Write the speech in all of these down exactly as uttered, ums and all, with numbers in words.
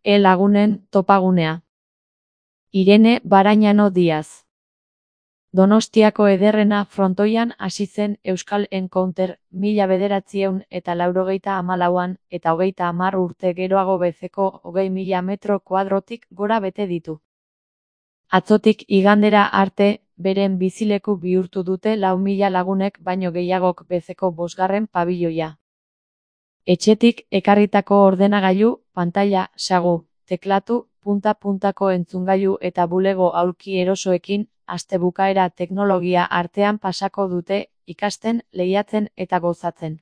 E-lagunen topagunea. Irene Barañano Díaz. Donostiako ederrena frontoian hasi zen Euskal Encounter mila bederatziehun eta laurogeita hamalauan eta hogeita hamar urte geroago bezeko hogei mila metro kuadrotik gora bete ditu. Atzotik igandera arte, beren bizileku bihurtu dute lau mila lagunek baino gehiagok bezeko bosgarren pabiloia. Etxetik ekarritako ordenagailu, pantaila, sagu, teklatu, punta-puntako entzungailu eta bulego aulki erosoekin, aste bukaera teknologia artean pasako dute, ikasten, lehiatzen eta gozatzen.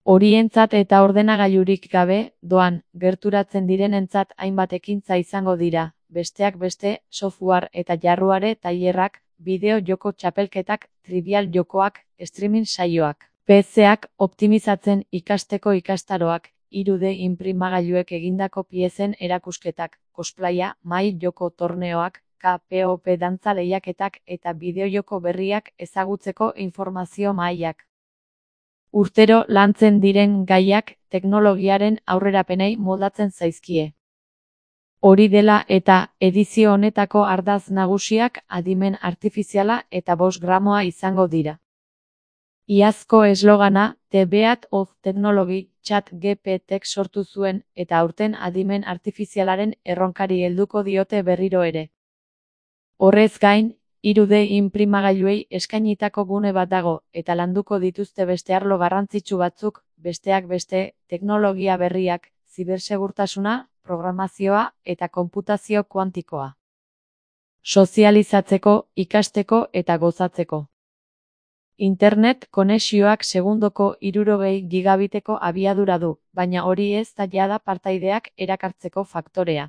Horientzat eta ordenagailurik gabe, doan, gerturatzen direnentzat hainbat ekintza izango dira, besteak beste, software eta jarruare tailerrak, bideo joko txapelketak, trivial jokoak, streaming saioak, P C-ak optimizatzen ikasteko ikastaroak, hiru D inprimagailuek egindako piezen erakusketak, cosplaya, mahai joko torneoak, K P O P dantza lehiaketak eta bideojoko berriak ezagutzeko informazio mahaiak. Urtero lantzen diren gaiak teknologiaren aurrerapenei moldatzen zaizkie. Hori dela eta edizio honetako ardatz nagusiak adimen artifiziala eta bost gramoa izango dira. Iazko eslogana, The Beat of Technology, Chat G P Tek sortu zuen eta aurten adimen artifizialaren erronkari helduko diote berriro ere. Horrez gain, hiru D inprimagailuei eskainitako gune bat dago eta landuko dituzte beste arlo garrantzitsu batzuk, besteak beste, teknologia berriak, zibersegurtasuna, programazioa eta konputazio kuantikoa. Sozializatzeko, ikasteko eta gozatzeko. Internet konexioak segundoko hirurogei gigabiteko abiadura du, baina hori ez da jada partaideak erakartzeko faktorea.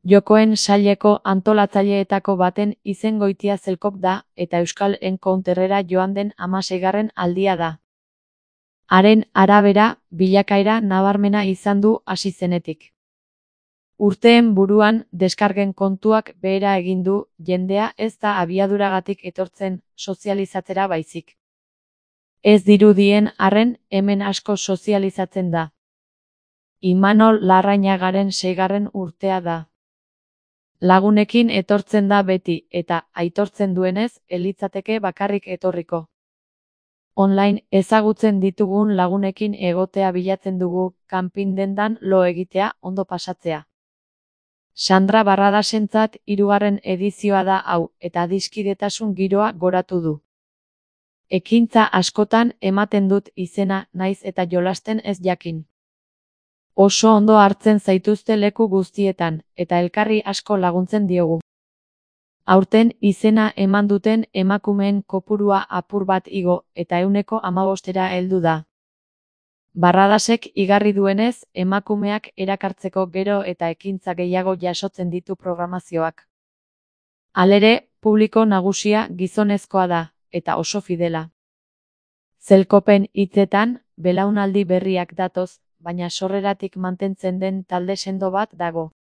Jokoen saileko antolatzaileetako baten izengoitia Zelkop da eta Euskal Encounterrera joan den hamaseigarren aldia da. Haren arabera, bilakaera nabarmena izan du hasi zenetik. Urteen buruan, deskargen kontuak behera egin du, jendea ez da abiaduragatik etortzen, sozializatzera baizik. Ez dirudien arren, hemen asko sozializatzen da. Imanol Larrañagaren seigarren urtea da. Lagunekin etortzen da beti, eta, aitortzen duenez, elitzateke bakarrik etorriko. Online ezagutzen ditugun lagunekin egotea bilatzen dugu, kanpin dendan lo egitea, ondo pasatzea. Sandra Barradasentzat hirugarren edizioa da hau, eta adiskidetasun giroa goratu du. Ekintza askotan ematen dut izena naiz eta jolasten ez jakin. Oso ondo hartzen zaituzte leku guztietan, eta elkarri asko laguntzen diogu. Aurten izena eman duten emakumeen kopurua apur bat igo, eta ehuneko hamabostera heldu da. Barradasek igarri duenez, emakumeak erakartzeko gero eta ekintza gehiago jasotzen ditu programazioak. Halere, publiko nagusia gizonezkoa da, eta oso fidela. Zelkopen hitzetan, belaunaldi berriak datoz, baina sorreratik mantentzen den talde sendo bat dago.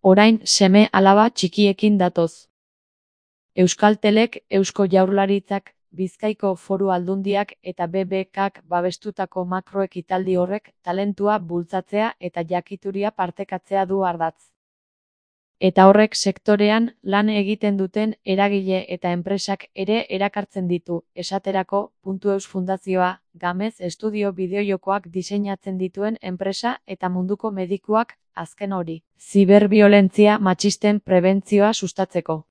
Orain seme alaba txikiekin datoz. Euskaltelek, Eusko Jaurlaritzak, Bizkaiko Foru Aldundiak eta B B Kak babestutako makroekitaldi horrek talentua bultzatzea eta jakituria partekatzea du ardatz. Eta horrek sektorean lan egiten duten eragile eta enpresak ere erakartzen ditu, esaterako, Puntueus Fundazioa, Gamez Estudio bideojokoak diseinatzen dituen enpresa eta munduko medikuak, azken hori, ziberbiolentzia matxisten prebentzioa sustatzeko.